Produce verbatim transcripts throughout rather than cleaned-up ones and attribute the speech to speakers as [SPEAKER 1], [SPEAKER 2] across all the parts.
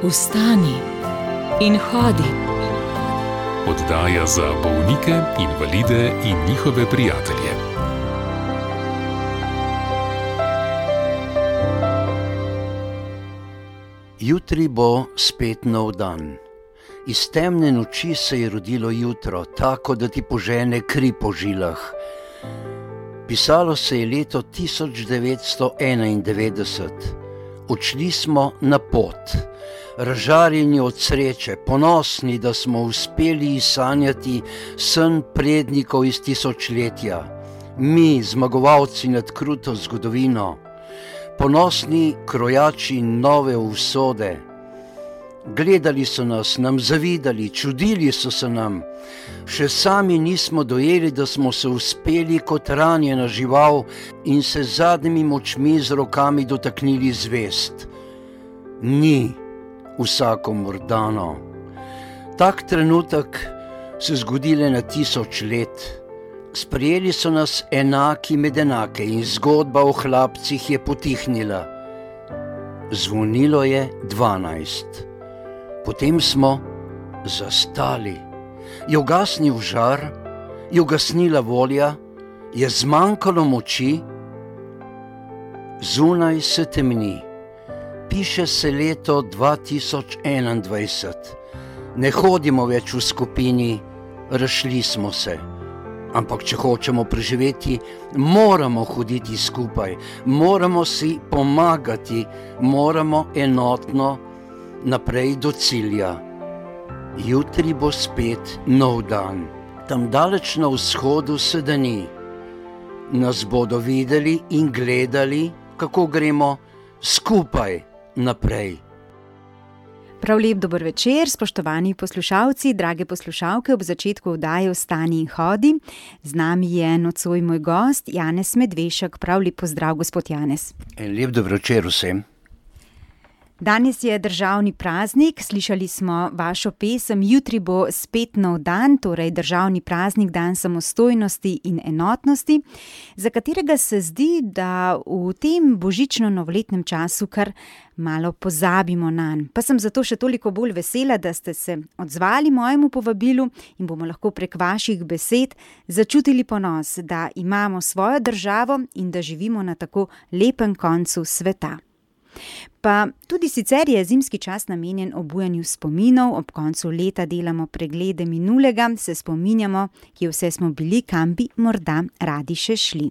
[SPEAKER 1] Vstani in hodi.
[SPEAKER 2] Oddaja za bolnike, invalide in njihove prijatelje.
[SPEAKER 3] Jutri bo spet nov dan. Iz temne noči se je rodilo jutro, tako da ti požene kri po žilah. Pisalo se je leto tisoč devetsto enaindevetdeset. Odšli smo na pot, razžarjeni od sreče, ponosni, da smo uspeli izsanjati sen prednikov iz tisočletja. Mi, zmagovalci nad kruto zgodovino, ponosni krojači nove usode. Gledali so nas, nam zavidali, čudili so se nam. Še sami nismo dojeli, da smo se uspeli kot ranjena žival in se z zadnjimi močmi z rokami dotaknili zvest. Ni vsakomur dano. Tak trenutek se zgodi le na tisoč let. Sprejeli so nas enaki med enake in zgodba o hlapcih je potihnila. Zvonilo je dvanajst. Potem smo zastali. Je ugasnil žar, je ugasnila volja, je zmanjkalo moči. Zunaj se temni. Piše se leto dva tisoč enaindvajset. Ne hodimo več v skupini, razšli smo se. Ampak če hočemo preživeti, moramo hoditi skupaj, moramo si pomagati, moramo enotno naprej do cilja. Jutri bo spet nov dan. Tam daleč na vzhodu se dani. Nas bodo videli in gledali, kako gremo skupaj naprej.
[SPEAKER 4] Prav lep dober večer, spoštovani poslušalci, drage poslušalke, ob začetku oddaje Vstani in hodi. Z nami je nocoj moj gost, Janez Medvešek. Prav lep pozdrav, gospod Janez.
[SPEAKER 3] En lep dober večer vsem.
[SPEAKER 4] Danes je državni praznik, slišali smo vašo pesem Jutri bo spet nov dan, torej državni praznik, dan samostojnosti in enotnosti, za katerega se zdi, da v tem božično-novoletnem času kar malo pozabimo nanj. Pa sem zato še toliko bolj vesela, da ste se odzvali mojemu povabilu in bomo lahko prek vaših besed začutili ponos, da imamo svojo državo in da živimo na tako lepem koncu sveta. Pa tudi sicer je zimski čas namenjen obujanju spominov, ob koncu leta delamo preglede minulega, se spominjamo, kje vse smo bili, kam bi morda radi še šli.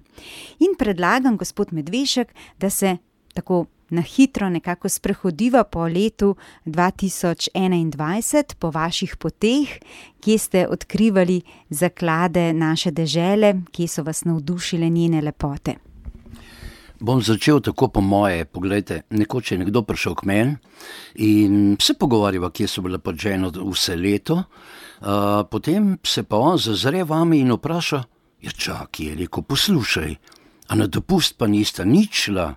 [SPEAKER 4] In predlagam, gospod Medvešek, da se tako na hitro nekako sprehodiva po letu dva tisoč enaindvajset, po vaših poteh, kje ste odkrivali zaklade naše dežele, kje so vas navdušile njene lepote.
[SPEAKER 3] Bom začel tako po moje. Poglejte, nekoč je nekdo prišel k meni in se pogovarjava, kje so bile pač ženo vse leto. Uh, potem se pa on zazre vami in vpraša, ja čak, je rekel, poslušaj, a na dopust pa nista nič šla?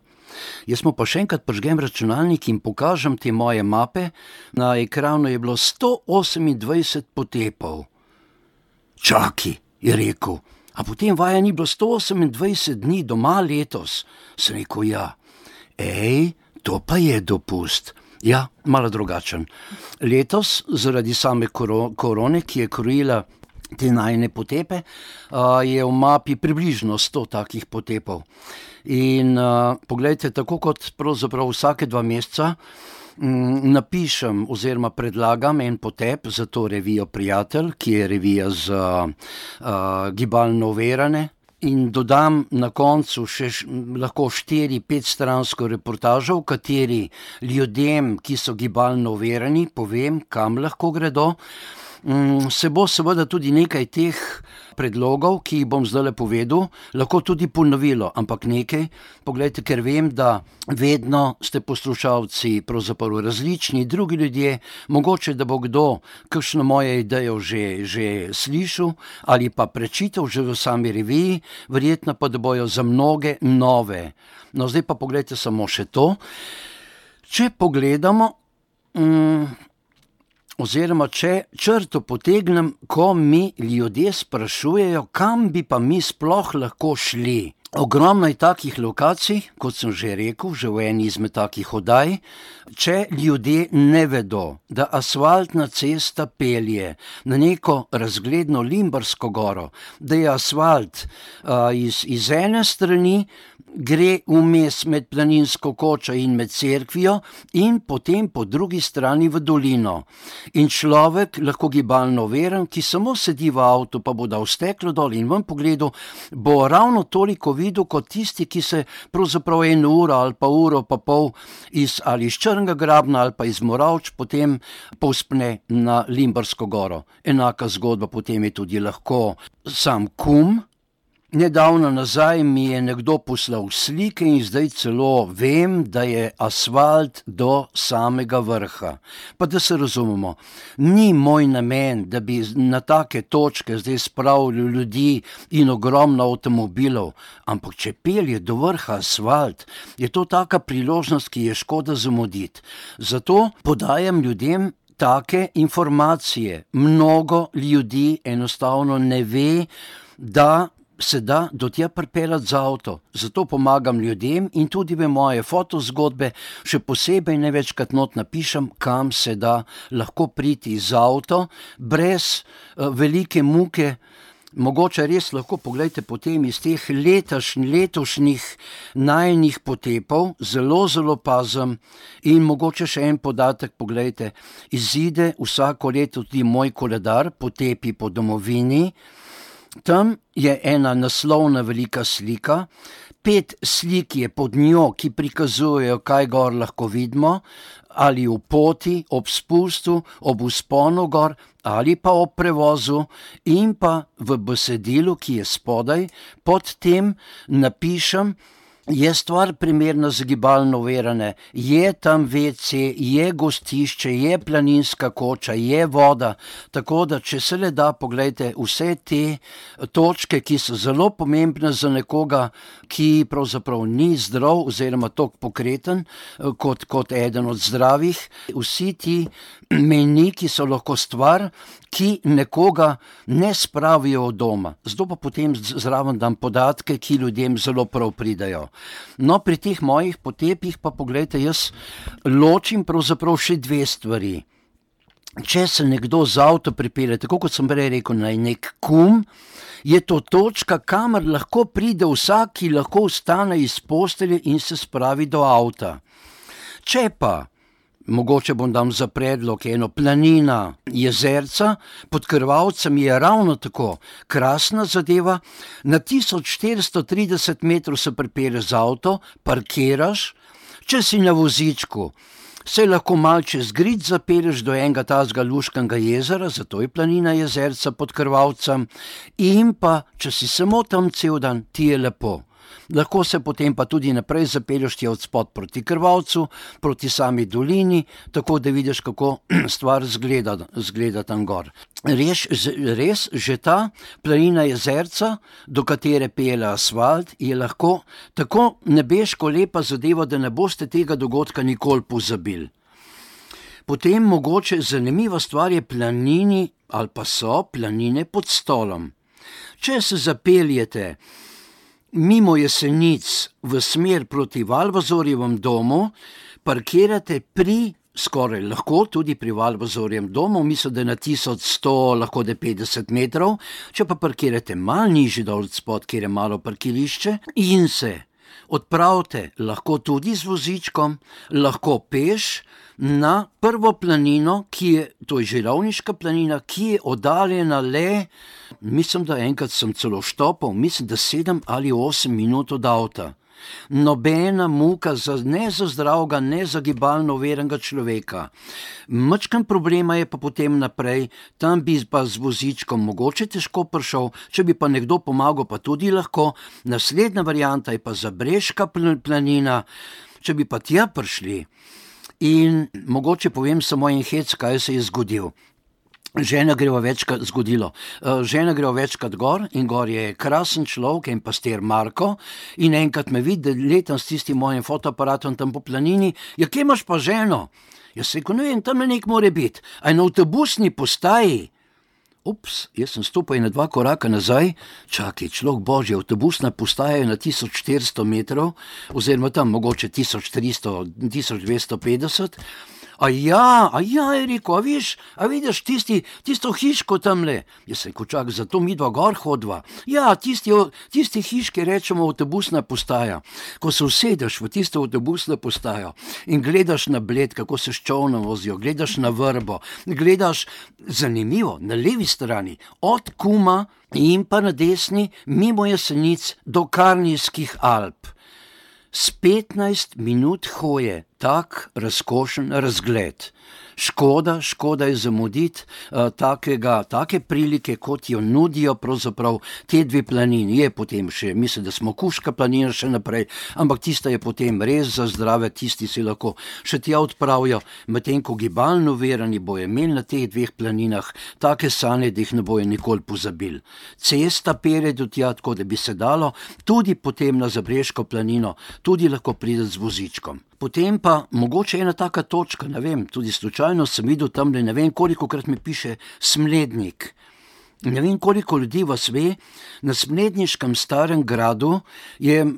[SPEAKER 3] Jaz mu pa še enkrat prižgem računalnik in pokažem te moje mape. Na ekranu je bilo sto osemindvajset potepov. Čaki, je rekel. A potem vaja ni bilo sto osemindvajset dni doma letos. Sem rekel, ja, ej, to pa je dopust. Ja, malo drugačen. Letos, zaradi same korone, ki je krojila te najine potepe, je v mapi približno sto takih potepov. In poglejte, tako kot pravzaprav vsake dva meseca, napišem oziroma predlagam en potep za to revijo Prijatelj, ki je revija za uh, gibalno overane, in dodam na koncu še š, lahko štiri, petstransko reportažo, v kateri ljudem, ki so gibalno overani, povem, kam lahko gredo. Um, se bo seveda tudi nekaj teh predlogov, ki jih bom zdajle povedal, lahko tudi ponovilo, ampak nekaj, poglejte, ker vem, da vedno ste poslušalci pravzaprav različni, drugi ljudje, mogoče, da bo kdo kakšno moje idejo že, že slišal ali pa prečital že v sami reviji, verjetno pa, da bojo za mnoge nove. No, zdaj pa poglejte samo še to. Če pogledamo, um, oziroma če črto potegnem, ko mi ljudje sprašujejo, kam bi pa mi sploh lahko šli. Ogromno je takih lokacij, kot sem že rekel, že v eni izmed takih oddaj, če ljudje ne vedo, da asfaltna cesta pelje na neko razgledno Limbarsko goro, da je asfalt uh, iz, iz ene strani, gre vmes med Planinsko kočo in med cerkvijo in potem po drugi strani v dolino. In človek, lahko gibalno overen, ki samo sedi v avtu, pa bo dal steklo dol in ven pogledal, bo ravno toliko videl kot tisti, ki se pravzaprav eno uro ali pa uro pa pol iz, ali iz Črnega grabna ali pa iz Moravč potem povzpne na Limbarsko goro. Enaka zgodba potem je tudi lahko sam Kum. Nedavno nazaj mi je nekdo poslal slike in zdaj celo vem, da je asfalt do samega vrha. Pa da se razumemo, ni moj namen, da bi na take točke zdaj spravili ljudi in ogromno avtomobilov, ampak če pelje do vrha asfalt, je to taka priložnost, ki je škoda zamuditi. Zato podajam ljudem take informacije. Mnogo ljudi enostavno ne ve, da se da do tja pripeljati z avto. Zato pomagam ljudem in tudi v moje fotozgodbe še posebej največkrat not napišem, kam se da lahko priti z avto, brez uh, velike muke. Mogoče res lahko pogledajte potem iz teh letašnj, letošnjih najnih potepov, zelo, zelo pazem in mogoče še en podatek, pogledajte, izide vsako leto tudi moj koledar Potepi po domovini. Tam je ena naslovna velika slika, pet slik je pod njo, ki prikazujejo, kaj gor lahko vidimo, ali v poti, ob spustu, ob vzponu gor, ali pa ob prevozu in pa v besedilu, ki je spodaj, pod tem napišem, je stvar primerna za gibalno overene, je tam ve ce, je gostišče, je planinska koča, je voda, tako da če se le da, pogledajte vse te točke, ki so zelo pomembne za nekoga, ki pravzaprav ni zdrav oziroma toliko pokreten kot, kot eden od zdravih. Vsi ti mejniki so lahko stvar, ki nekoga ne spravijo od doma. Zato pa potem zraven dam podatke, ki ljudem zelo prav pridajo. No, pri teh mojih potepih pa pogledajte, jaz ločim pravzaprav še dve stvari. Če se nekdo z avto pripelje, tako kot sem prej rekel, na nek Kum, je to točka, kamor lahko pride vsak, ki lahko vstane iz postelje in se spravi do avta. Če pa mogoče bom dam za predlog eno planina, jezerca, pod Krvavcem je ravno tako krasna zadeva, na tisoč štiristo trideset metrov se pripelješ z avto, parkiraš, če si na vozičku, se lahko mal čez Grid zapelješ do enega tazga luškega jezera, zato je planina jezerca pod Krvavcem, in pa, če si samo tam cel dan, ti je lepo. Lahko se potem pa tudi naprej zapelješ tja od spod proti Krvavcu, proti sami dolini, tako da vidiš, kako stvar zgleda, zgleda tam gor. Res, res, že ta planina jezerca, do katere pelje asfalt, je lahko tako nebeško lepa zadeva, da ne boste tega dogodka nikoli pozabili. Potem mogoče zanimiva stvar je planini, ali pa so planine pod Stolom. Če se zapeljete mimo Jesenic v smer proti Valvazorjevem domu, parkirate pri, skoraj lahko tudi pri Valvazorjevem domu, mislim, da je na tisoč sto, lahko da petdeset metrov, če pa parkirate malo nižji dol spod, kjer je malo parkirišče, in se odpravite lahko tudi z vozičkom, lahko peš na prvo planino, ki je, to je Žirovniška planina, ki je oddaljena le, mislim, da enkrat sem celo štopal, mislim, da sedem ali osem minut od avta. Nobena muka za, ne za zdravega, ne za gibalno verenega človeka. Mačkan problema je pa potem naprej, tam bi pa z vozičkom mogoče težko prišel, če bi pa nekdo pomagal, pa tudi lahko. Naslednja varianta je pa Zabrežka planina, če bi pa tja prišli. In mogoče povem samo en hec, kaj se je zgodil. Žena greva večkrat zgodilo. Žena greva večkrat gor in gor je krasen človek, en pastir Marko, in enkrat me vidi, da letam s tistim mojim fotoaparatom tam po planini. Ja, kje imaš pa ženo? Jaz rekel, ne vem, tam nek more biti. A je na avtobusni postaji? Ups, jaz sem stopil na dva koraka nazaj, čakaj, človek božji, avtobusna postaja je na tisoč štiristo metrov, oziroma tam mogoče tisoč tristo, tisoč dvesto petdeset. A ja, a ja, je rekel, a viš, a vidiš tisti, tisto hiško tamle. Jaz sem rekel, čak, zato mi dva gor hodva. Ja, tisti, tisti hiški rečemo avtobusna postaja. Ko se usedeš v tisto avtobusno postajo in gledaš na Bled, kako se s čolnom vozijo, gledaš na Vrbo, gledaš, zanimivo, na levi strani, od Kuma in pa na desni, mimo Jesenic do Karnijskih Alp. S petnajst minut hoje, tak razkošen razgled. Škoda, škoda je zamuditi uh, takega, take prilike, kot jo nudijo pravzaprav te dve planini. Je potem še, mislim, da smo Kuška planina še naprej, ampak tista je potem res za zdrave, tisti si lahko še tja odpravijo, medtem ko gibalno verani bojo imeli na teh dveh planinah take sanje, da jih ne bojo nikoli pozabili. Cesta pere do tja, tako da bi se dalo tudi potem na Zabrežko planino, tudi lahko priti z vozičkom. Potem pa mogoče ena taka točka, ne vem, tudi slučajno sem videl tamle, ne vem kolikokrat mi piše Smlednik. Ne vem koliko ljudi vas ve, na Smledniškem starem gradu je uh,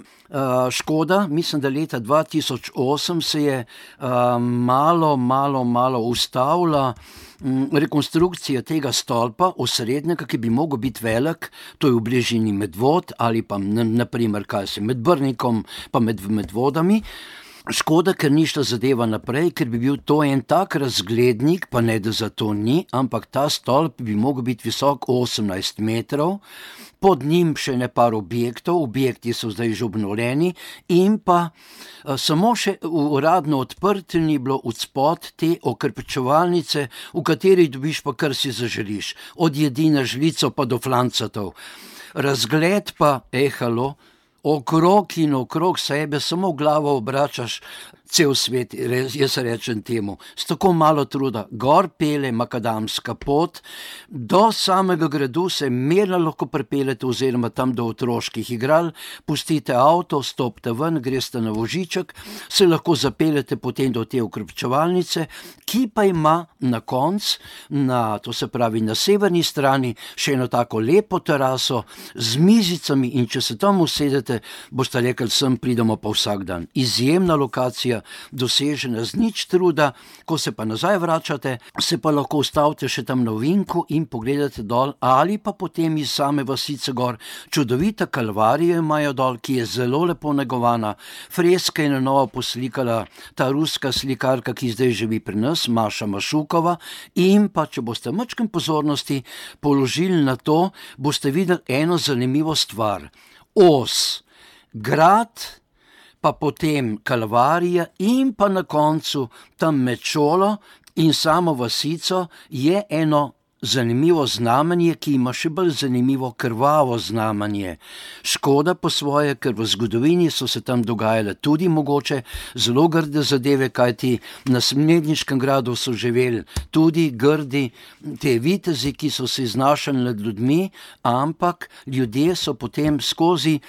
[SPEAKER 3] Škoda, mislim, da leta dva tisoč osem se je uh, malo, malo, malo ustavila um, rekonstrukcija tega stolpa osrednjega, ki bi mogel biti velik, to je v bližini Medvod ali pa naprimer kaj se med Brnikom pa med Medvodami. Škoda, ker ni šla zadeva naprej, ker bi bil to en tak razglednik, pa ne da za to ni, ampak ta stolp bi mogel biti visok osemnajst metrov, pod njim še ne par objektov, objekti so zdaj že obnovljeni in pa a, samo še uradno odprt ni bilo odspod te okrepčevalnice, v kateri dobiš pa kar si zaželiš, od jedi na žlico pa do flancatov. Razgled pa, ehalo, okrog in okrog sebe, samo glavo obračaš, cel svet, jaz rečem temu, s tako malo truda, gor pele makadamska pot, do samega gradu se mirno lahko pripeljete oziroma tam do otroških igral, pustite avto, stopite ven, greste na voziček, se lahko zapeljete potem do te okrepčevalnice, ki pa ima na koncu, na, to se pravi na severni strani, še eno tako lepo teraso z mizicami in če se tam usedete, boste rekli, sem pridemo pa vsak dan. Izjemna lokacija, dosežena z nič truda, ko se pa nazaj vračate, se pa lahko ustavite še tam na ovinku in pogledate dol ali pa potem iz same vasice gor. Čudovita kalvarija imajo dol, ki je zelo lepo negovana, freske je na novo poslikala ta ruska slikarka, ki zdaj živi pri nas, Maša Mašukova, in pa če boste majčkeno pozornosti položili na to, boste videli eno zanimivo stvar. Os, grad, pa potem kalvarija in pa na koncu tam med šolo in samo vasico je eno zanimivo znamenje, ki ima še bolj zanimivo krvavo znamenje. Škoda po svoje, ker v zgodovini so se tam dogajale tudi mogoče zelo grde zadeve, kajti na Smledniškem gradu so živeli tudi grdi te vitezi, ki so se iznašali nad ljudmi, ampak ljudje so potem skozi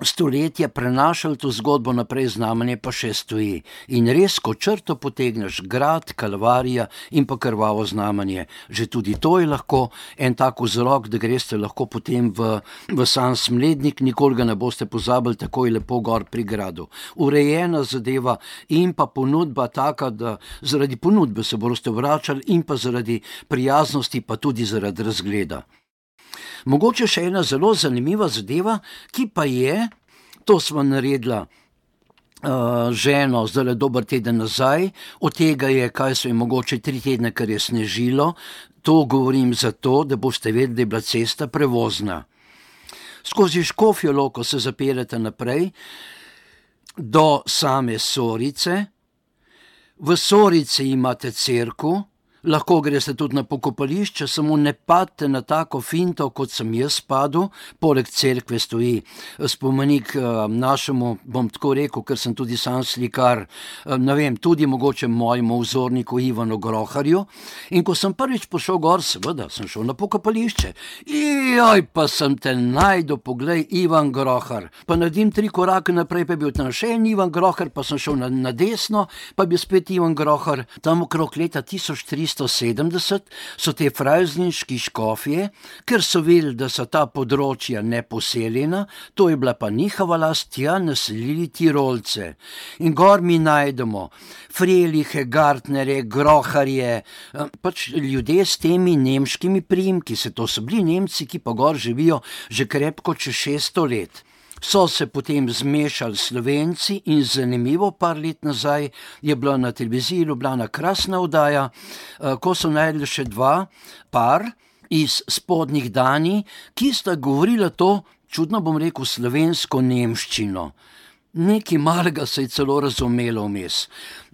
[SPEAKER 3] stoletja prenašali to zgodbo naprej, znamenje pa še stoji. In res, ko črto potegneš, grad, kalvarija in pa krvavo znamenje, že tudi to je lahko en tak vzrok, da greste lahko potem v, v sam Smlednik, nikoli ga ne boste pozabili, tako je lepo gor pri gradu. Urejena zadeva in pa ponudba taka, da zaradi ponudbe se boste vračali in pa zaradi prijaznosti, pa tudi zaradi razgleda. Mogoče še ena zelo zanimiva zadeva, ki pa je, to smo naredila uh, ženo zdaj dober teden nazaj, od tega je, kaj so je mogoče tri tedne, kar je snežilo, to govorim zato, da boste vedeli, da je bila cesta prevozna. Skozi Škofjo Loko se zapeljete naprej do same Sorice, v Sorici imate cerkev, lahko greste tudi na pokopališče, samo ne padte na tako finto, kot sem jaz padel, poleg cerkve stoji spomenik našemu, bom tako rekel, ker sem tudi sam slikar, ne vem, tudi mogoče mojemu vzorniku Ivanu Groharju, in ko sem prvič pošel gor, seveda, sem šel na pokopališče, joj, pa sem te najdu, poglej, Ivan Grohar, pa naredim tri korake naprej, pa je bil tam še en Ivan Grohar, pa sem šel na, na desno, pa je bil spet Ivan Grohar, tam okrog leta tisoč tristo tristo sedemdeset so te frajzniški škofje, ker so vedeli, da so ta področja neposeljena, to je bila pa njihova last, tja naselili Tirolce. In gor mi najdemo Frelihe, Gartnerje, Groharje, pač ljudje s temi nemškimi priimki, se to so bili Nemci, ki pa gor živijo že krepko čez šeststo let. So se potem zmešali Slovenci in zanimivo, par let nazaj je bila na televiziji Ljubljana krasna oddaja, ko so najdli še dva par iz spodnjih Danij, ki sta govorila to, čudno bom rekel, slovensko nemščino. Nekaj malega se je celo razumelo vmes.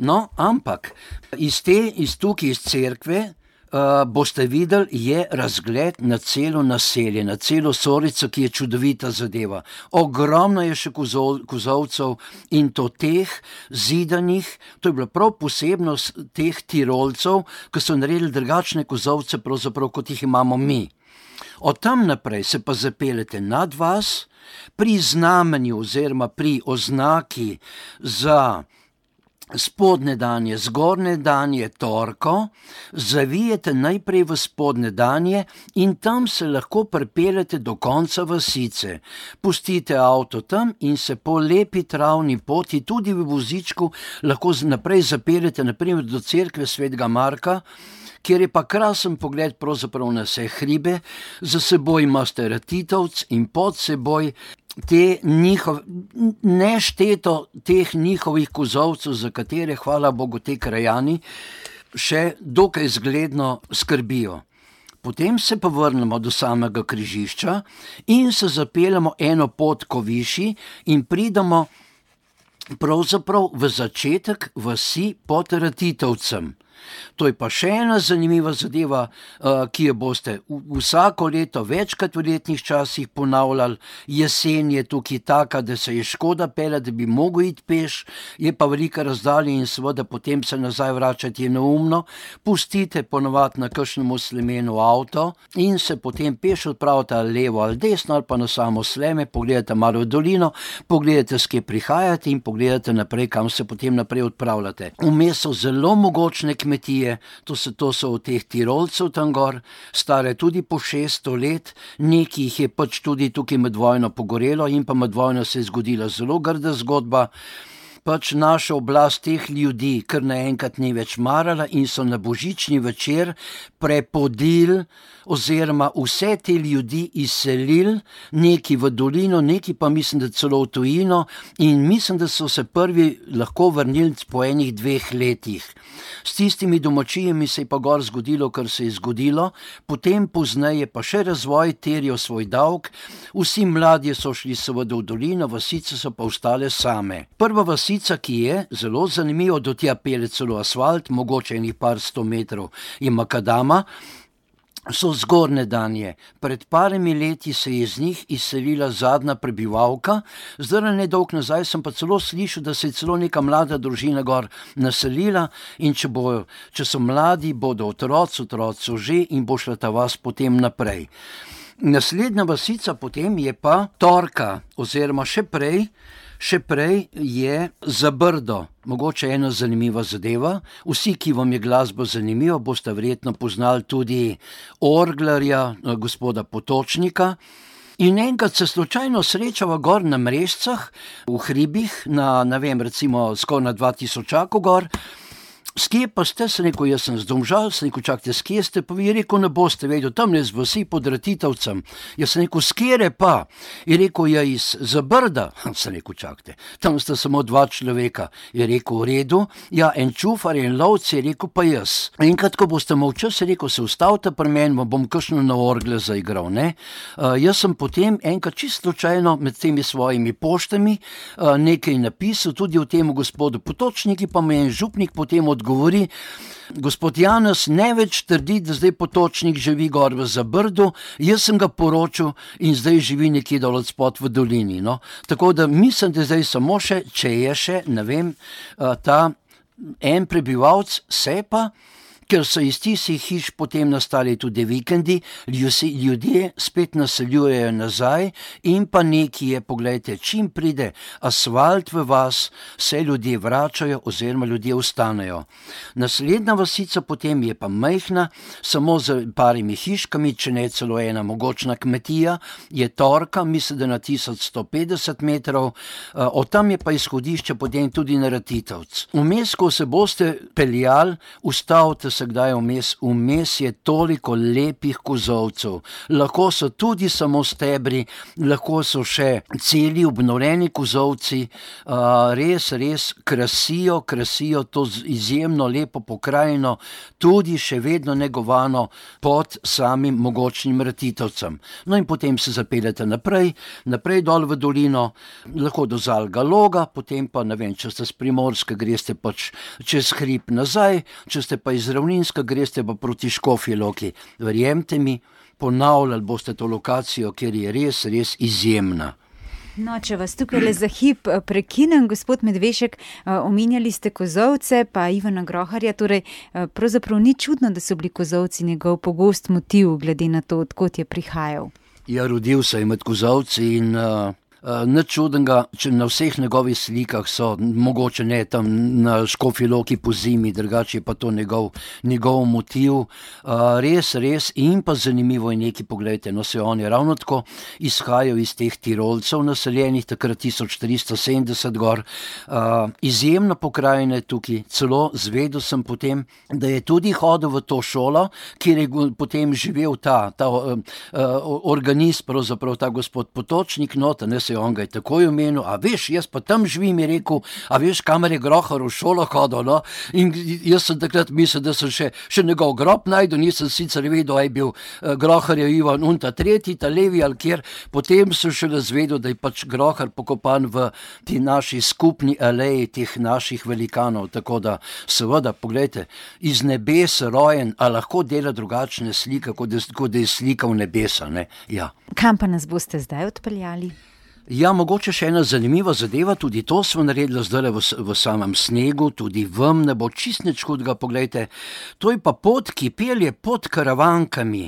[SPEAKER 3] No, ampak iz te, iz tukaj iz cerkve, Uh, boste videli, je razgled na celo naselje, na celo Sorico, ki je čudovita zadeva. Ogromno je še kozol, kozolcev in to teh zidanih, to je bila prav posebnost teh Tirolcev, ki so naredili drugačne kozolce, pravzaprav kot jih imamo mi. Od tam naprej se pa zapeljete nad vas, pri znamenju oziroma pri oznaki za spodnje Danje, zgornje Danje, Torko, zavijete najprej v spodnje Danje in tam se lahko pripeljete do konca vasice. Pustite avto tam in se po lepi travni poti, tudi v vozičku, lahko naprej zapeljete naprimer do cerkve svetega Marka, kjer je pa krasen pogled pravzaprav na vse hribe, za seboj imate Ratitovc in pod seboj te njihov, nešteto teh njihovih kozolcev, za katere, hvala Bogu, te krajani še dokaj zgledno skrbijo. Potem se pa vrnemo do samega križišča in se zapeljemo eno pot ko višji in pridemo pravzaprav v začetek vasi pod Ratitovcem. To je pa še ena zanimiva zadeva, ki jo boste vsako leto večkrat v letnih časih ponavljali. Jesen je tukaj taka, da se je škoda peljati, da bi mogel iti peš, je pa velika razdalja in seveda potem se nazaj vračati je neumno. Pustite ponovadi na kakšnemu slemenu avto in se potem peš odpravite ali levo ali desno ali pa na samo sleme, pogledate malo v dolino, pogledate, s kje prihajate in pogledate naprej, kam se potem naprej odpravljate. Vmes so zelo mogočne kmetije, to so, to so od teh Tirolcev tam gor, stare tudi po šeststo let, nekaj jih je pač tudi tukaj med vojno pogorelo in pa med vojno se je zgodila zelo grda zgodba. Pač naša oblast teh ljudi kar naenkrat ni več marala in so na božični večer prepodili oziroma vse te ljudi izselili, neki v dolino, neki pa mislim, da celo v tujino in mislim, da so se prvi lahko vrnili po enih dveh letih. S tistimi domačijami se je pa gor zgodilo, kar se je zgodilo, potem pozneje pa še razvoj terjal svoj davek, vsi mladje so šli seveda v dolino, vasice so pa ostale same. Prva vasica, ki je zelo zanimivo, do tja pelje celo asfalt, mogoče enih par sto metrov je makadama, so zgornje Danje. Pred parimi leti se je z njih izselila zadnja prebivalka, zdaj nedolgo nazaj sem pa celo slišal, da se je celo neka mlada družina gor naselila in če, bo, če so mladi, bodo otroci, otroci že in bo šla ta vas potem naprej. Naslednja vasica potem je pa Torka, oziroma še prej, Še prej je Zabrdo, mogoče ena zanimiva zadeva. Vsi, ki vam je glasba zanimiva, boste verjetno poznali tudi orglarja, gospoda Potočnika. In enkrat se slučajno srečava gor na Mrežcah, v hribih, na, ne vem, recimo skoraj na dva tisočaku gor. S kje pa ste, se rekel, jaz sem z Domžal, se rekel, čakajte, s kje ste, pa vi rekel, ne boste vedel, tam ne z vasi pod Ratitovcem. Jaz sem rekel, s kjere pa? Je rekel, ja iz Zabrda. Se rekel, čakajte, tam sta samo dva človeka. Je rekel, v redu, ja, en čufar, en lovc, je rekel, pa jaz. Enkrat, ko boste molčali, se rekel, se ustavite pri meni, bom kakšno na orgle zaigral, ne? Uh, jaz sem potem enkrat čisto slučajno med temi svojimi poštami uh, nekaj napisal, tudi o temu gospodu Potočniki, pa me en župnik potem od govori, gospod Janez ne več trdi, da zdaj Potočnik živi gor v Zabrdu, jaz sem ga poročil in zdaj živi nekje dol od spod v dolini. No? Tako da mislim, da zdaj samo še, če je še, ne vem, ta en prebivalc, se pa ker so iz tistih hiš potem nastali tudi vikendi, ljudje spet naseljujejo nazaj in pa nekaj je, poglejte, čim pride asfalt v vas, se ljudje vračajo oziroma ljudje ostanejo. Naslednja vasica potem je pa majhna, samo z parimi hiškami, če ne celo ena mogočna kmetija, je Torka, mislim, da na tisoč sto petdeset metrov, od tam je pa izhodišče potem tudi na Ratitovec. Vmes, ko se boste peljali, ustavite se kdaj vmes, vmes je toliko lepih kozolcev. Lahko so tudi samo stebri, lahko so še celi obnovljeni kozolci, res, res krasijo, krasijo to izjemno lepo pokrajino, tudi še vedno negovano pod samim mogočnim Ratitovcem. No in potem se zapeljete naprej, naprej dol v dolino, lahko do Zalga Loga, potem pa, ne vem, če ste z Primorske, greste pač čez hrib nazaj, če ste pa iz Ravninska, greste pa proti Škofji Loki. Verjemite mi, ponavljali boste to lokacijo, ker je res, res izjemna.
[SPEAKER 4] No, če vas tukaj le za hip prekinem, gospod Medvešek, omenjali ste kozolce, pa Ivana Groharja, torej pravzaprav ni čudno, da so bili kozolci njegov pogost motiv, glede na to, odkot je prihajal.
[SPEAKER 3] Ja, rodil se je med kozolci in uh, uh, nič čudnega, če na vseh njegovih slikah so, mogoče ne tam na Škofji Loki po zimi, drugače je pa to njegov, njegov motiv. Uh, res, res in pa zanimivo je nekaj, poglejte, no se on je ravno tako izhajal iz teh Tirolcev naseljenih, takrat tisoč tristo sedemdeset gor. Uh, izjemna pokrajina je tukaj, celo zvedel sem potem, da je tudi hodil v to šolo, kjer je potem živel ta, ta uh, uh, organist, pravzaprav ta gospod Potočnik, nota, ne se on ga je takoj omenil, a veš, jaz pa tam živim, je rekel, a veš, kamer je Grohar v šolo hodil, no, in jaz sem takrat mislil, da sem še, še njegov grob najdel, nisem sicer vedel, a je bil uh, Grohar je Ivan un ta tretji, ta levi ali kjer, potem sem šele zvedel, da je pač Grohar pokopan v ti naši skupni aleji teh naših velikanov, tako da seveda, poglejte, iz nebes rojen, a lahko dela drugačne slike, kot da, kot da je slikal nebesa, ne, ja.
[SPEAKER 4] Kam pa nas boste zdaj odpeljali?
[SPEAKER 3] Ja, mogoče še ena zanimiva zadeva, tudi to smo naredili zdaj v, v samem snegu, tudi vam ne bo čist nič hudega, poglejte, to je pa pot, ki pelje pod Karavankami.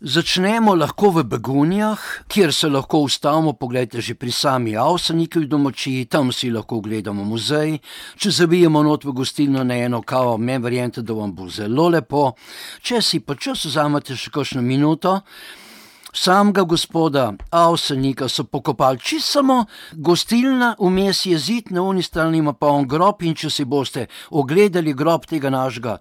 [SPEAKER 3] Začnemo lahko v Begunjah, kjer se lahko ustavimo, poglejte, že pri sami Avsenikovi domačiji, tam si lahko ogledamo muzej, če zavijemo not v gostilno na eno kavo, meni verjemite, da vam bo zelo lepo, če si pa čas vzamete še kakšno minuto, samega gospoda Avsenika so pokopali čisto samo gostilna, vmes je zid, na oni strani ima pa on grob, in če si boste ogledali grob tega našega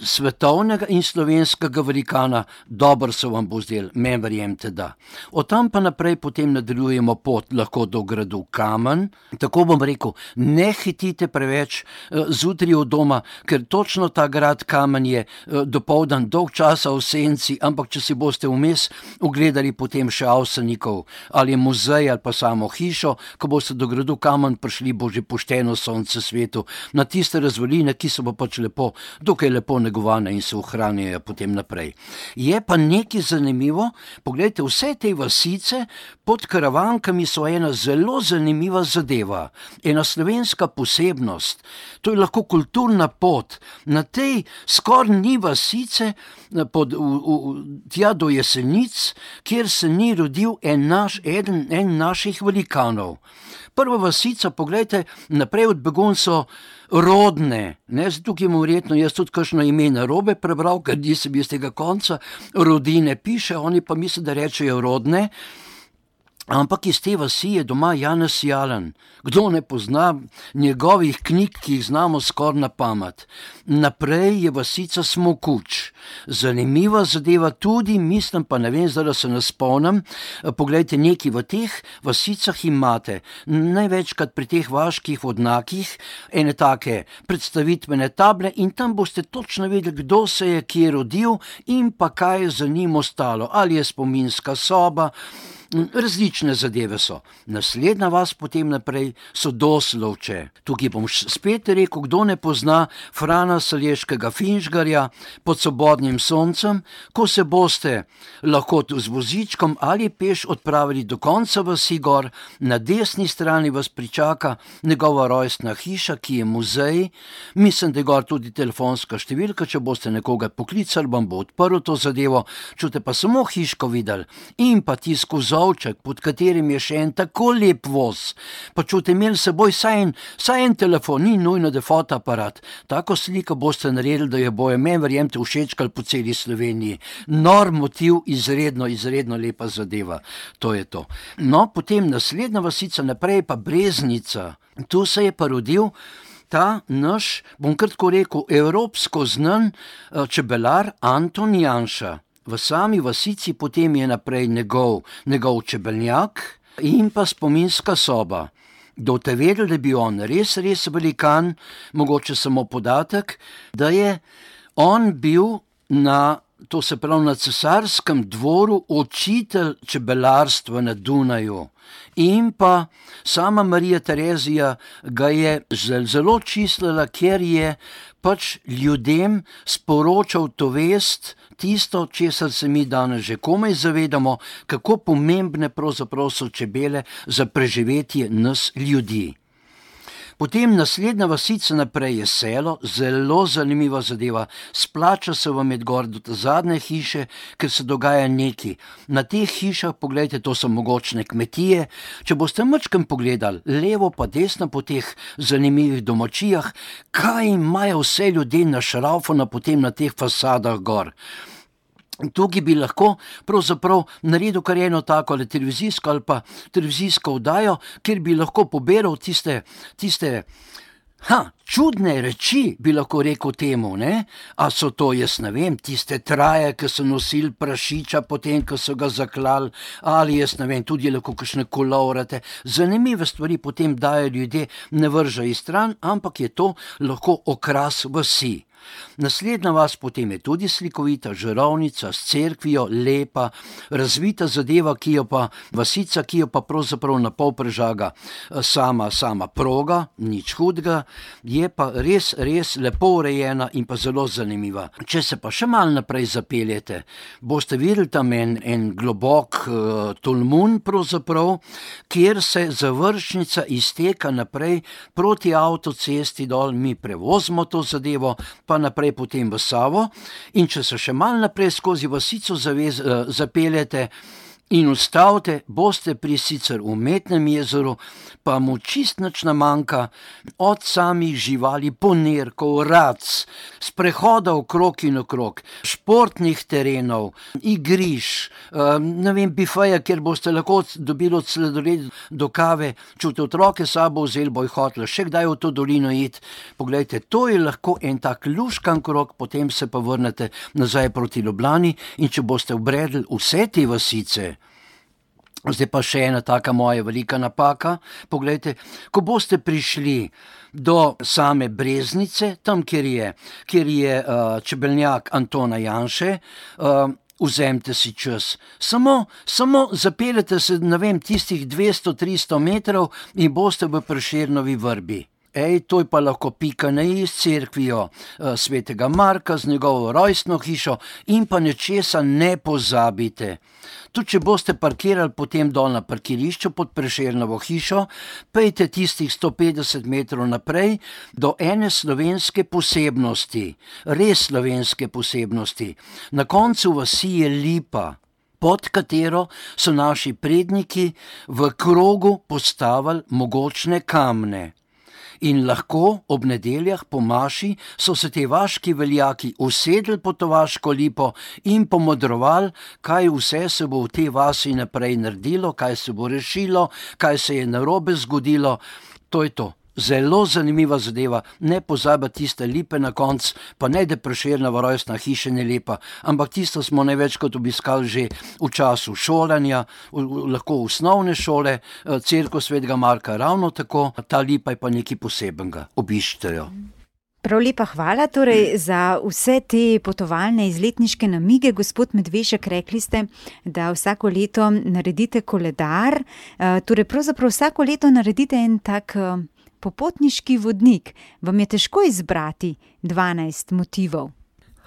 [SPEAKER 3] svetovnega in slovenskega velikana, dobro se vam bo zdel, meni verjemite, da. Od tam pa naprej potem nadaljujemo pot lahko do gradu Kamen, tako bom rekel, ne hitite preveč uh, zjutraj od doma, ker točno ta grad Kamen je uh, dopoldan dolg časa v senci, ampak če si boste vmes ogledali potem še Avsenikov ali muzej ali pa samo hišo, ko boste do gradu Kamen prišli, bo že pošteno sonce svetu na tiste razvaline, ki so pa pač lepo, dokaj lepo negovane in se ohranjajo potem naprej. Je pa nekaj zanimivo, poglejte, vse te vasice pod Karavankami so ena zelo zanimiva zadeva, ena slovenska posebnost, to je lahko kulturna pot, na tej skoraj ni vasice, pod, v, v, tja do Jesenic, kjer se ni rodil en naš, eden, en naših velikanov. Prva vasica, poglejte, naprej od Begunj so Rodne, ne, tukaj imam verjetno jaz tudi kakšno ime narobe prebral, ker nisem iz tega konca, Rodine piše, oni pa mislijo, da rečejo Rodne, ampak iz te vasi je doma Janez Jalen. Kdo ne pozna njegovih knjig, ki jih znamo skoraj na pamet. Naprej je vasica Smokuč. Zanimiva zadeva tudi, mislim pa ne vem, zdaj da se ne spomnim, poglejte, nekaj v teh vasicah imate, največkrat pri teh vaških vodnakih, ene take predstavitvene table in tam boste točno vedeli, kdo se je kje rodil in pa kaj je za njim ostalo. Ali je spominska soba, Različne zadeve so. Naslednja vas potem naprej so Doslovče. Tukaj bom spet rekel, kdo ne pozna Frana Saleškega Finžgarja Pod svobodnim soncem, ko se boste lahko z vozičkom ali peš odpravili do konca vasi gor, na desni strani vas pričaka njegova rojstna hiša, ki je muzej. Mislim, da je gor tudi telefonska številka, če boste nekoga poklicali, vam bo odprl to zadevo, čute pa samo hiško videli in pa tisko vzovček, pod katerim je še en tako lep voz. Pa čute imeli seboj saj en, saj en telefon, ni nujno, da je fotoaparat. Tako sliko boste naredili, da je bojo meni, verjemte, všečkali po celi Sloveniji. Nor motiv, izredno, izredno lepa zadeva. To je to. No, potem naslednja vasica naprej pa Breznica. Tu se je pa rodil ta naš, bom kratko rekel, evropsko znan čebelar Anton Janša. V sami vasici potem je naprej njegov, njegov čebelnjak in pa spominska soba. Do te vedeli, da bi on res, res velikan, mogoče samo podatek, da je on bil na, to se pravi, na cesarskem dvoru učitelj čebelarstva na Dunaju. In pa sama Marija Terezija ga je zelo čislila, ker je pač ljudem sporočal to vest, tisto, česar se mi danes že komaj zavedamo, kako pomembne pravzaprav so čebele za preživetje nas ljudi. Potem naslednja vasica naprej je Selo, zelo zanimiva zadeva. Splača se vam iti gor do te zadnje hiše, ker se dogaja nekaj. Na teh hišah, pogledajte, to so mogočne kmetije. Če boste mačkem pogledali, levo pa desno po teh zanimivih domačijah, kaj imajo vse ljudje našraufano potem na teh fasadah gor. Tukaj bi lahko pravzaprav naredil kar eno tako ali televizijsko ali pa televizijsko oddajo, kjer bi lahko poberal tiste, tiste ha, čudne reči, bi lahko rekel temu, ne? A so to, jaz ne vem, tiste traje, ki so nosili prašiča potem, ko so ga zaklali, ali jaz ne vem, tudi lahko kakšne kolovrate. Zanimive stvari potem dajo ljudje, ne vržajo iz stran, ampak je to lahko okras vasi. Naslednja vas potem je tudi slikovita Žarovnica s cerkvijo, lepa, razvita zadeva, ki jo pa, vasica, ki jo pa pravzaprav na pol prežaga sama, sama proga, nič hudega, je pa res, res lepo urejena in pa zelo zanimiva. Če se pa še malo naprej zapeljete, boste videli tam en, en globok uh, tolmun pravzaprav, kjer se završnica izteka naprej proti avtocesti dol, mi prevozimo to zadevo, pa naprej potem v Savo, in če se še malo naprej skozi vasico zavez, zapeljete in ustavite, boste pri sicer umetnem jezeru, pa mu čist nič namanjka, od samih živali, ponerkov, rac, sprehoda okrog in okrog, športnih terenov, igriš, ne vem, bifeja, kjer boste lahko dobili od sladoleda do kave, čute otroke sabo vzeli, boj hotla še kdaj v to dolino iti. Poglejte, to je lahko en tak luškan krog, potem se pa vrnete nazaj proti Ljubljani, in če boste obredli vse te vasice, zdaj pa še ena taka moja velika napaka, poglejte, ko boste prišli do same Breznice, tam, kjer je, kjer je uh, čebelnjak Antona Janše, uh, vzemite si čas. Samo, samo zapeljete se, ne vem, tistih dvesto tristo metrov in boste v Prešernovi vrbi. Ej, to je pa lahko pika na i s cerkvijo uh, svetega Marka, z njegovo rojstno hišo, in pa nečesa ne pozabite. Tudi če boste parkirali potem dol na parkirišču pod Prešernovo hišo, pejte tistih sto petdeset metrov naprej do ene slovenske posebnosti, res slovenske posebnosti. Na koncu vasi je lipa, pod katero so naši predniki v krogu postavili mogočne kamne. In lahko ob nedeljah po maši so se te vaški veljaki usedli pod to vaško lipo in pomodrovali, kaj vse se bo v tej vasi naprej naredilo, kaj se bo rešilo, kaj se je narobe zgodilo. To je to. Zelo zanimiva zadeva, ne pozabiti tiste lipe na konc, pa ne da Prešernova rojstna hiša ne lepa, ampak tisto smo največkrat obiskali že v času šolanja, v, v, lahko osnovne šole, cerkev svetega Marka ravno tako, ta lipa je pa nekaj posebenega, obiščite jo.
[SPEAKER 4] Prav lepa hvala torej za vse te potovalne izletniške namige. Gospod Medvešek, rekli ste, da vsako leto naredite koledar, torej pravzaprav vsako leto naredite en tak popotniški vodnik. Vam je težko izbrati dvanajst motivov?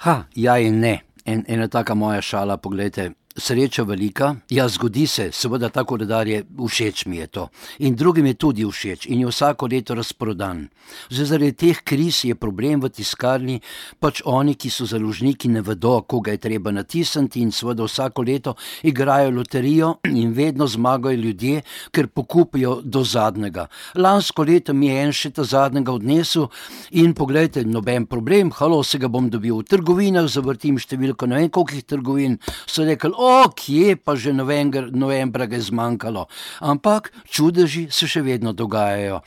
[SPEAKER 3] Ha, ja in ne. En, ena taka moja šala, poglejte, sreča velika, ja, zgodi se, seveda ta koledar je, všeč mi je to. In drugim je tudi všeč in je vsako leto razprodan. Zdaj, zaradi teh kriz je problem v tiskarni, pač oni, ki so založniki, ne vedo, koga je treba natisniti in seveda vsako leto igrajo loterijo in vedno zmagajo ljudje, ker pokupijo do zadnjega. Lansko leto mi je en še ta zadnjega odnesel in poglejte, noben problem, halo, se ga bom dobil v trgovinah, zavrtim številko, ne vem kolikih trgovin, so rekli, o, kje pa že novembra, novembra ga je zmanjkalo. Ampak čudeži se še vedno dogajajo.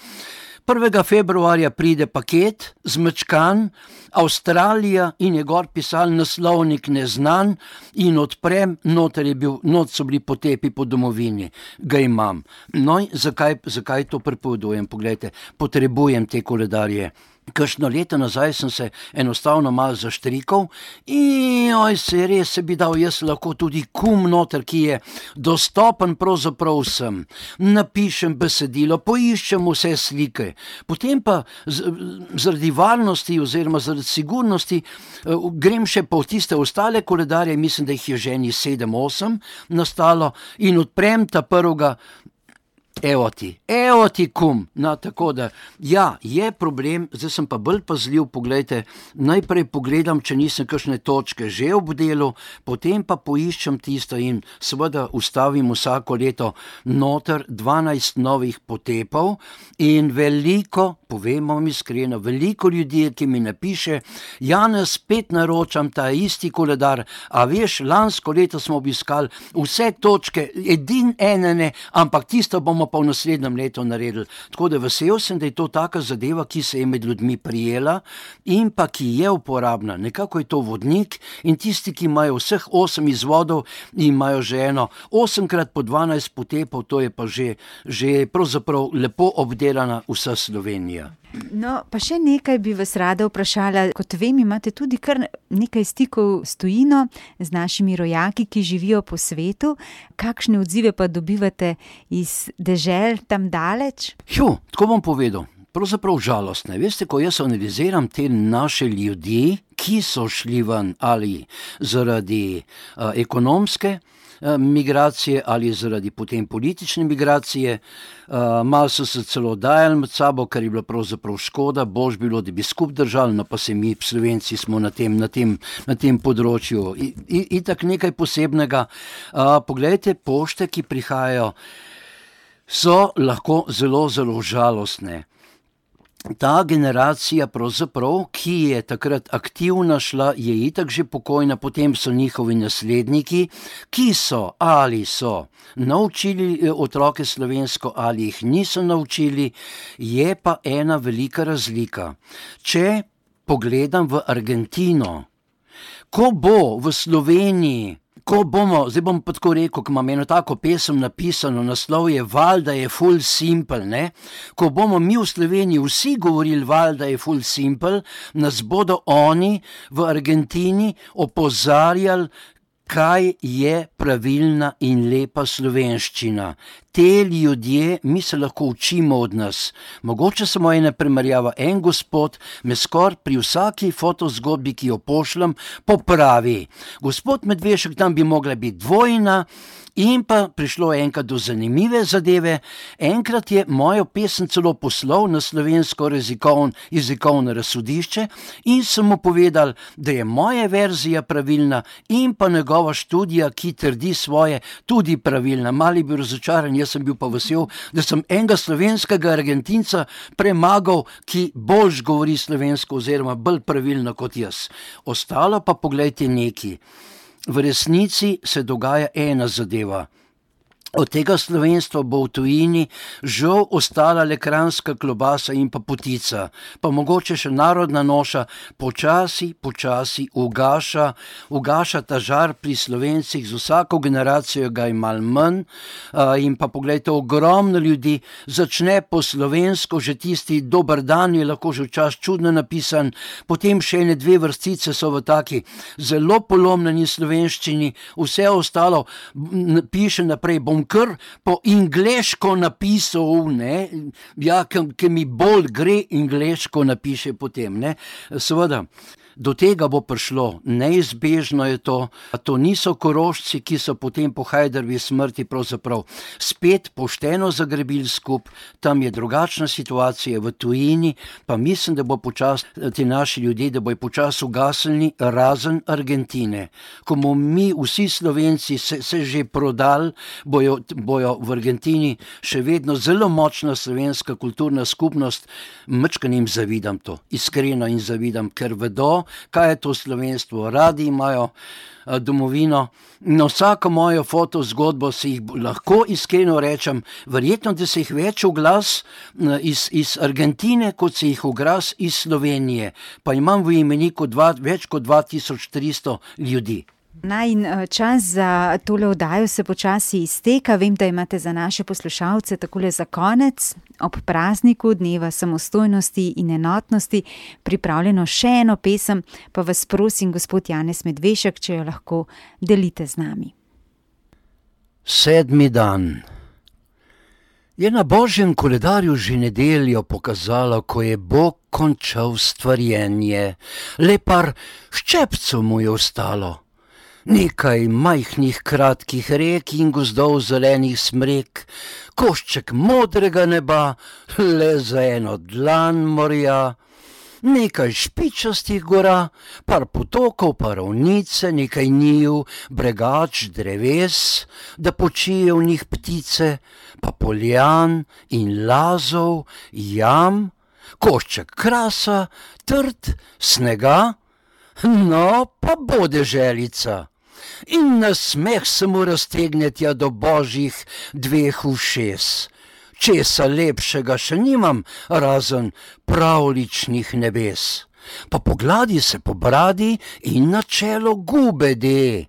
[SPEAKER 3] prvega februarja pride paket, zmečkan, Avstralija in je gor pisal naslovnik neznan in odprem, noter je bil, not so bili potepi po domovini. Ga imam. No, zakaj, zakaj to prepovedujem? Poglejte, potrebujem te koledarje. Kakšno leto nazaj sem se enostavno malo zaštrikal in oj, se res se bi dal jaz lahko tudi kum noter, ki je dostopen pravzaprav vsem. Napišem besedilo, poiščem vse slike, potem pa z, zaradi varnosti oziroma zaradi sigurnosti grem še po tiste ostale koledarje, mislim, da jih je že eni sedem, osem nastalo in odprem ta prvega. Evo ti, evo ti kum. No, tako da, ja, je problem, zdaj sem pa bolj pazljiv, poglejte, najprej pogledam, če nisem kakšne točke že obdelal, potem pa poiščem tisto in seveda ustavim vsako leto noter dvanajst novih potepov in veliko, povem vam iskreno, veliko ljudi, ki mi napiše, Janez, spet naročam ta isti koledar, a veš, lansko leto smo obiskali vse točke, edin enene, ampak tisto bomo pa v naslednjem letu naredili. Tako da vesel sem, da je to taka zadeva, ki se je med ljudmi prijela in pa ki je uporabna. Nekako je to vodnik in tisti, ki imajo vseh osem izvodov in imajo že eno osemkrat po dvanajst potepov, to je pa že, že pravzaprav lepo obdelana vsa Slovenija.
[SPEAKER 4] No, pa še nekaj bi vas rada vprašala. Kot vem, imate tudi kar nekaj stikov s tujino, z našimi rojaki, ki živijo po svetu. Kakšne odzive pa dobivate iz dežel tam daleč?
[SPEAKER 3] Jo, tako bom povedal. Pravzaprav žalostne. Veste, ko jaz analiziram te naše ljudi, ki so šli ven ali zaradi uh, ekonomske migracije ali zaradi potem politične migracije. Uh, malo so se celo dajali med sabo, kar je bilo pravzaprav škoda, bož bilo, da bi skup držali, no pa se mi, Slovenci, smo na tem, na tem, na tem področju. I, i, itak nekaj posebnega. Uh, poglejte, pošte, ki prihajajo, so lahko zelo, zelo žalostne. Ta generacija pravzaprav, ki je takrat aktivna šla, je itak že pokojna, potem so njihovi nasledniki, ki so ali so naučili otroke slovensko ali jih niso naučili, je pa ena velika razlika. Če pogledam v Argentino, ko bo v Sloveniji, ko bomo, zdaj bom pa tako rekel, ko imam eno tako pesem napisano, naslov je Valjda je ful simple, ne? Ko bomo mi v Sloveniji vsi govorili Valjda je ful simple, nas bodo oni v Argentini opozarjali, kaj je pravilna in lepa slovenščina. Te ljudje, mi se lahko učimo od nas. Mogoče samo ena primerjava, en gospod me skoraj pri vsaki fotozgodbi, ki jo pošljem, popravi. Gospod Medvešek, tam bi mogla biti dvojna in pa prišlo enkrat do zanimive zadeve. Enkrat je mojo pesem celo poslal na slovensko jezikovno, jezikovno razsodišče in sem mu povedal, da je moja verzija pravilna in pa njegova študija, ki trdi svoje, tudi pravilna. Mali bil razočaran, jaz sem bil pa vesel, da sem enega slovenskega Argentinca premagal, ki bolj govori slovensko oziroma bolj pravilno kot jaz. Ostalo pa poglejte neki. V resnici se dogaja ena zadeva. Od tega slovenstva bo v tujini žal ostala le kranjska klobasa in pa potica, pa mogoče še narodna noša počasi, počasi ugaša, ugaša ta žar pri Slovencih, z vsako generacijo ga je malo manj in pa poglejte, ogromno ljudi začne po slovensko, že tisti dober dan je lahko že včasih čudno napisan, potem še ene dve vrstice so v taki zelo polomljeni slovenščini, vse ostalo piše naprej, bom kar po angleško napisal, ne, ja, ki mi bolj gre angleško napiše potem, ne, seveda. Do tega bo prišlo, neizbežno je to, to niso Korošci, ki so potem po Hajdarjevi smrti pravzaprav spet pošteno zagrebili skup, tam je drugačna situacija v tujini, pa mislim, da bo počas ti naši ljudje, da bojo počas ugasnili razen Argentine. Ko bomo mi vsi Slovenci se, se že prodali, bojo, bojo v Argentini še vedno zelo močna slovenska kulturna skupnost, mečkan jim zavidam to, iskreno jim zavidam, ker vedo, kaj je to slovenstvo, radi imajo domovino. Na vsako mojo fotozgodbo si jih lahko iskreno rečem, verjetno, da se jih več oglas iz, iz Argentine, kot se jih oglas iz Slovenije, pa imam v imeniku dva, več kot dva tisoč tristo ljudi.
[SPEAKER 4] Naj in čas za tole oddajo se počasi izteka. Vem, da imate za naše poslušalce takole za konec, ob prazniku dneva samostojnosti in enotnosti, pripravljeno še eno pesem, pa vas prosim, gospod Janez Medvešek, če jo lahko delite z nami.
[SPEAKER 3] Sedmi dan. Je na Božjem koledarju že nedeljo pokazalo, ko je Bog končal stvarjenje. Le par ščepcev mu je ostalo. Nekaj majhnih kratkih rek in gozdov zelenih smrek, košček modrega neba, le za eno dlan morja, nekaj špičastih gora, par potokov, par ravnice, nekaj njiv, bregač, dreves, da počijo v njih ptice, pa poljan in lazov, jam, košček krasa, trd, snega, no pa bode želica. In na smeh se mu raztegne tja do božjih dveh ušes. Česa lepšega še nimam, razen pravličnih nebes. Pa pogladi se po bradi in na čelo gube de.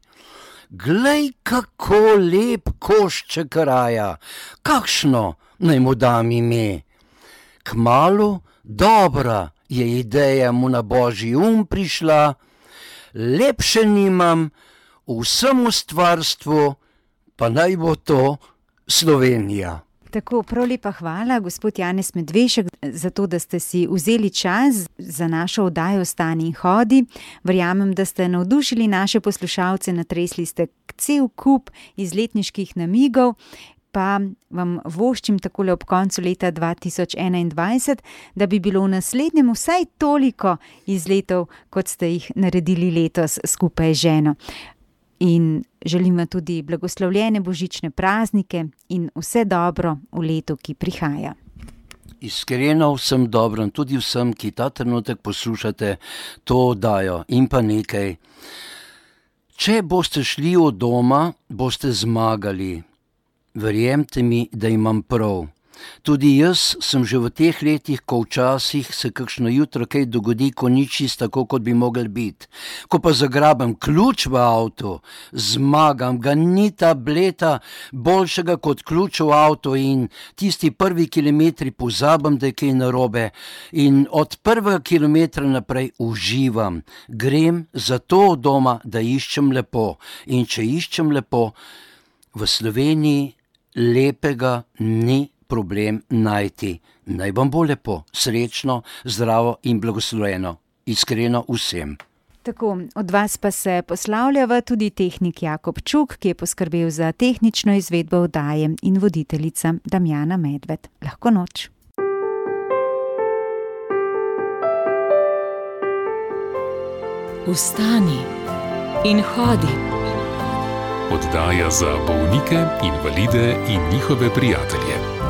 [SPEAKER 3] Glej, kako lep košček raja, kakšno naj mu dam ime. Kmalu dobra je ideja mu na božji um prišla, lepše nimam, vsemu stvarstvu, pa naj bo to Slovenija.
[SPEAKER 4] Tako, prav lepa hvala, gospod Janez Medvešek, za to, da ste si vzeli čas za našo oddajo Stani in hodi. Verjamem, da ste navdušili naše poslušalce, natresli ste cel kup izletniških namigov, pa vam voščim takole ob koncu leta dva tisoč enaindvajset, da bi bilo v naslednjem vsaj toliko izletov, kot ste jih naredili letos skupaj z ženo. In želim vam tudi blagoslovljene božične praznike in vse dobro v letu, ki prihaja.
[SPEAKER 3] Iskreno vsem dobro, tudi vsem, ki ta trenutek poslušate to oddajo in pa nekaj. Če boste šli od doma, boste zmagali. Verjemite mi, da imam prav. Tudi jaz sem že v teh letih, ko včasih se kakšno jutro kaj dogodi, ko ni čisto tako, kot bi mogel biti. Ko pa zagrabam ključ v avtu, zmagam, ga ni tableta boljšega kot ključ v avtu in tisti prvi kilometri pozabim, da je kaj narobe in od prvega kilometra naprej uživam. Grem zato od doma, da iščem lepo in če iščem lepo, v Sloveniji lepega ni problem najti. Naj vam bo lepo, srečno, zdravo in blagoslovljeno. Iskreno vsem.
[SPEAKER 4] Tako, od vas pa se poslavljava tudi tehnik Jakob Čuk, ki je poskrbel za tehnično izvedbo oddaje, in voditeljica Damjana Medved. Lahko noč.
[SPEAKER 1] Vstani in hodi.
[SPEAKER 2] Oddaja za bolnike, invalide in njihove prijatelje.